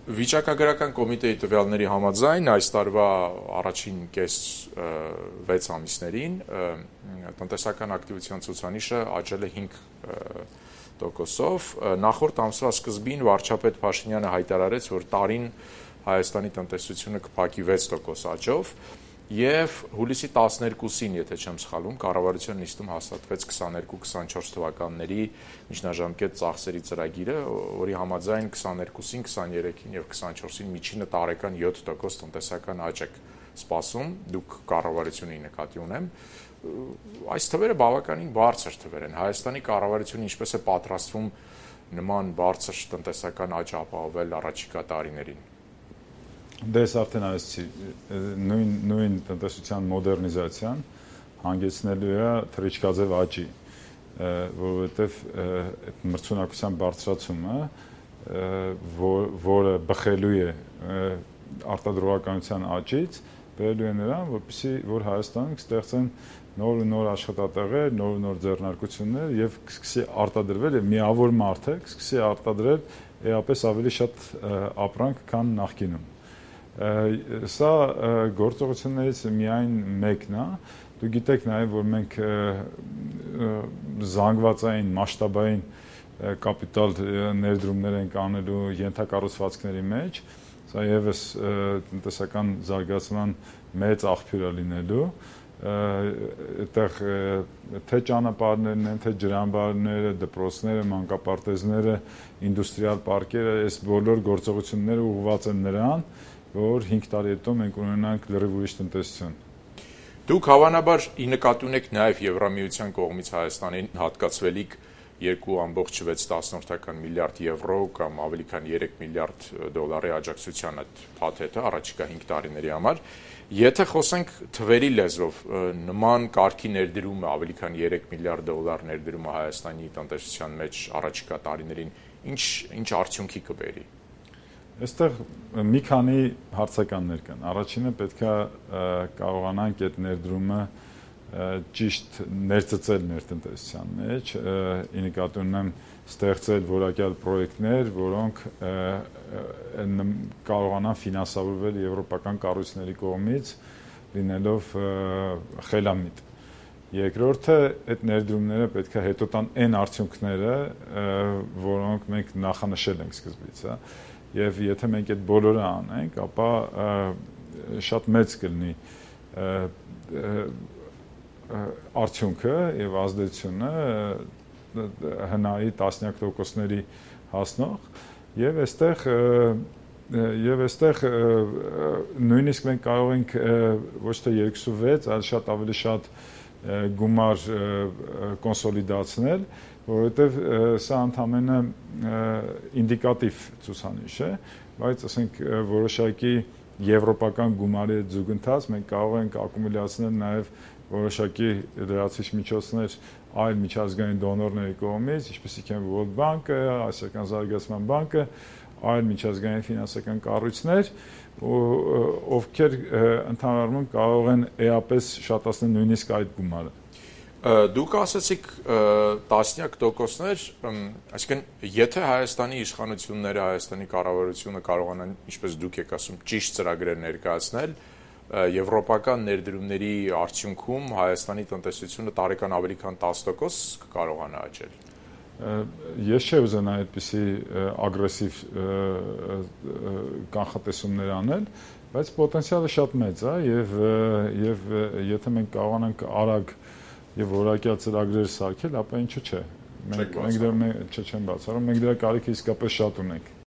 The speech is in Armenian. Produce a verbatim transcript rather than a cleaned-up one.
Վիճակագրական կոմիտեի տվյալների համաձայն այս տարվա առաջին կես վեց ամիսներին տնտեսական ակտիվության ցուցանիշը աճել է հինգ տոկոսով, նախորդ ամսվա սկզբին վարչապետ Փաշինյանը հայտարարեց, որ տարին Հայաստանի տնտեսությունը կփակի վեց տոկոս աճով, եւ հուլիսի տասներկուսին, եթե չեմ սխալվում, կառավարության նիստում հաստատվեց քսաներկու քսանչորս թվականների միջնաժամկետ ծախսերի ծրագիրը, որի համաձայն քսաներկուսին, քսաներեքին եւ քսանչորսին միջինը տարեկան յոթ տոկոս տնտեսական աճ է սպասում, դուք կառավարությունի նկատի ունեմ, այս թվերը բավականին բարձր թվեր են, Հայաստանի կառավարությունը ինչպես է պատրաստվում նման բարձր տնտեսական աճ ապահովել առաջիկա տարիներին։ Դες արդեն այսի նույն նույն տնտեսության մոդեռնիզացիան հանգեցնելու է թռիչքաձև աճի, որովհետև այդ մրցունակության բարձրացումը, որը բխելու է արտադրողականության աճից, բերելու է նրան, որպեսզի որ Հայաստանում կստեղծեն նոր ու նոր աշխատատեղեր, նոր ու նոր ձեռնարկություններ եւ կսկսի արտադրվել եւ միավոր մարդը կսկսի արտադրել էապես ավելի շատ ապրանք, քան նախկինում։ Սա գործողություններից միայն մեկն է, դու գիտեք նաև, որ մենք զանգվածային, մասշտաբային կապիտալ ներդրումներ ենք անելու ենթակառուցվածքների մեջ, սա եւս տնտեսական զարգացման մեծ աղբյուր է լինելու, այդտեղ թե ճանապարհներն են, թե ջրամբարները, դպրոցները, մանկապարտեզները, ինդուստրիալ պարկերը, այս բոլոր գործողությունները ուղղված են նրան, որ հինգ տարի հետո մենք ունենանք լրիվ ուրիշ տնտեսություն։ Դուք հավանաբար ի նկատի ունեք նաև Եվրամիության կողմից Հայաստանին հատկացվելիք երկու ամբողջ վեց միլիարդ եվրո կամ ավելի քան երեք միլիարդ դոլարի աջակցության այդ փաթեթը առաջիկա հինգ տարիների համար։ Եթե խոսենք թվերի լեզվով, նման կարգի ներդրումը ավելի քան երեք միլիարդ դոլար ներդրումը Հայաստանի տնտեսության մեջ առաջիկա տարիներին ինչ ինչ արդյունքի կբերի։ Այստեղ մի քանի հարցականներ կան։ Առաջինը պետք է կարողանանք այդ ներդրումը ճիշտ ներծծել մեր տնտեսության մեջ, ի նկատի ունեմ ստեղծել որակյալ պրոյեկտներ, որոնք կարողանան ֆինանսավորվել եվրոպական կառույցների կողմից, լինելով խելամիտ։ Երկրորդը, այդ ներդրումները պետք է հետո տան այն արդյունքները, որոնք մենք նախանշել ենք սկզբից, հա։ Եվ եթե մենք այդ բոլորը անենք, ապա շատ մեծ կլինի արդյունքը եւ ազդեցությունը հնայի տասնյակ տոկոսների հասնող եւ այստեղ եւ այստեղ նույնիսկ մենք կարող ենք ոչ թե երկուսուվեց, այլ շատ ավելի շատ գումար կոնսոլիդացնել, որովհետև սա ընդամենը ինդիկատիվ ցուցանիշ է, բայց ասենք որոշակի եվրոպական գումարի զուգընթաց մենք կարող ենք ակումուլյացնել նաև որոշակի լրացուցիչ միջոցներ այլ միջազգային դոնորների կողմից, ինչպեսիք են World Bank-ը, Ասիական զարգացման բանկը, այլ միջազգային ֆինանսական կառույցներ, ովքեր ընդհանրապես կարող են էապես շատացնել նույնիսկ այդ գումարը։ Դուք ասացիք տասնյակ տոկոսներ, այսինքն եթե Հայաստանի իշխանությունները, Հայաստանի կառավարությունը կարողանան, ինչպես դուք եք ասում, ճիշտ ծրագրեր ներկայացնել, եվրոպական ներդրումների արդյունքում Հայաստանի տնտեսությունը տարեկան ավելի քան տասը տոկոս կկարողանա աճել։ Ես չէ ուզենա այդպիսի ագրեսիվ կանխատեսումներ անել, բայց պոտենցիալը շատ մեծ է եւ եւ եթե մենք կարողանանք արագ եւ որակյալ ծրագրեր սարքել, ապա ինչու՞ չէ։ Մենք մենք դեռ չեմ բացառում, մենք դրա կարիքը իսկապես շատ ունենք։